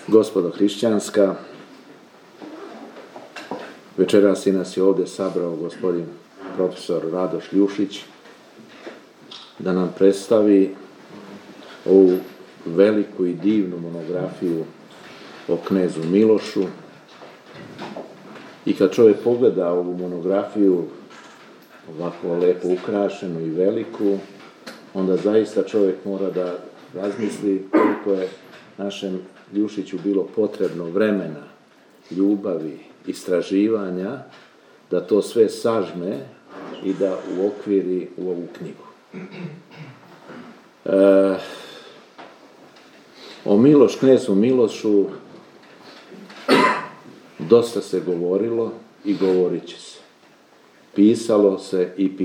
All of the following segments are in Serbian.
Gospodo hrišćanska, večeras nas je ovdje sabrao gospodin profesor Radoš Ljušić da nam predstavi ovu veliku i divnu monografiju o knezu Milošu. I kad čovjek pogleda ovu monografiju, ovako lepo ukrašenu i veliku, onda zaista čovjek mora da razmisli koliko je našem Ljušiću bilo potrebno vremena, ljubavi, istraživanja, da to sve sažme i da uokviri u ovu knjigu. O knezu Milošu dosta se govorilo i govorit će se. Pisalo se i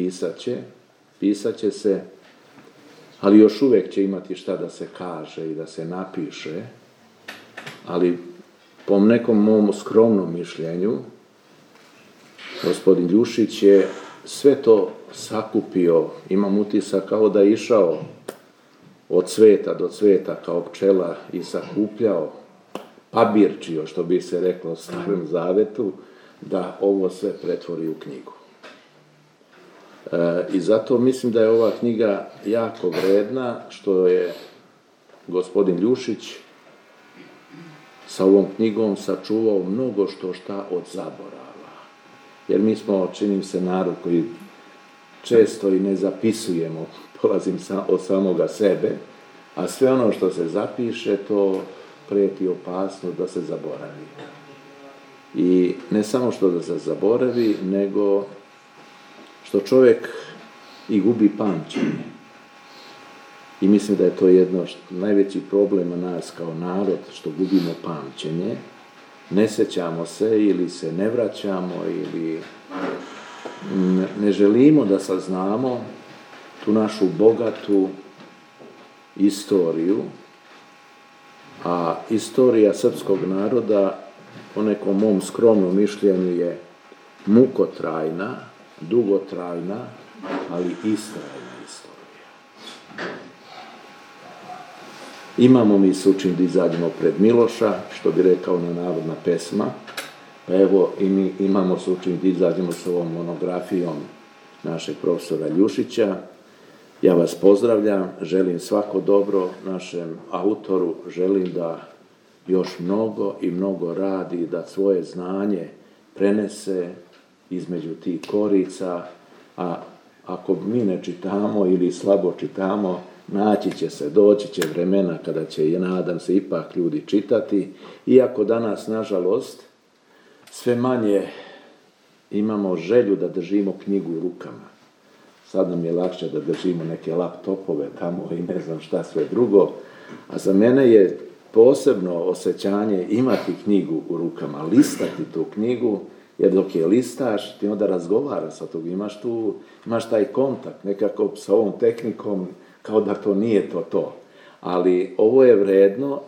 pisat će se, ali još uvijek će imati šta da se kaže i da se napiše, ali po nekom mom skromnom mišljenju, gospodin Ljušić je sve to sakupio, imam utisak kao da je išao od cveta do cveta kao pčela i sakupljao, pabirčio, što bi se reklo u Starom Zavetu, da ovo sve pretvori u knjigu. I zato mislim da je ova knjiga jako vredna, što je gospodin Ljušić sa ovom knjigom sačuvao mnogo šta od zaborava. Jer mi smo, činim se, narod koji često i ne zapisujemo, polazim od samoga sebe, a sve ono što se zapiše, to prijeti opasnost da se zaboravi. I ne samo što da se zaboravi, nego što čovjek i gubi pamćenje. I mislim da je to jedno najveći problema nas kao narod, što gubimo pamćenje. Ne sjećamo se ili se ne vraćamo ili ne želimo da saznamo tu našu bogatu istoriju, a istorija srpskog naroda, po nekom mom skromnom mišljenju, je mukotrajna, dugotrajna, ali istrajna istorija. Imamo mi sučin da izađemo pred Miloša, što bi rekao ona narodna pesma, pa evo i mi imamo sučin da izađemo s ovom monografijom našeg profesora Ljušića. Ja vas pozdravljam, želim svako dobro našem autoru, želim da još mnogo i mnogo radi, da svoje znanje prenese između tih korica, a ako mi ne čitamo ili slabo čitamo, doći će vremena kada će, i nadam se, ipak ljudi čitati, iako danas, nažalost, sve manje imamo želju da držimo knjigu u rukama. Sad nam je lakše da držimo neke laptopove tamo i ne znam šta sve drugo, a za mene je posebno osjećanje imati knjigu u rukama, listati tu knjigu, jer dok je listaš, ti onda razgovaraš sa tog, imaš taj kontakt nekako sa ovom tehnikom, kao da to nije to. Ali ovo je vredno,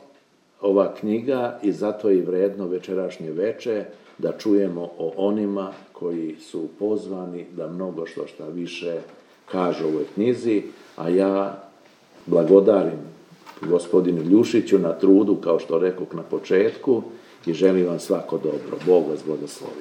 ova knjiga, i zato je vredno večerašnje veče da čujemo o onima koji su pozvani da mnogo šta više kažu o ovoj knjizi, a ja blagodarim gospodinu Ljušiću na trudu, kao što rekoh na početku, i želim vam svako dobro. Bog vas blagoslovi.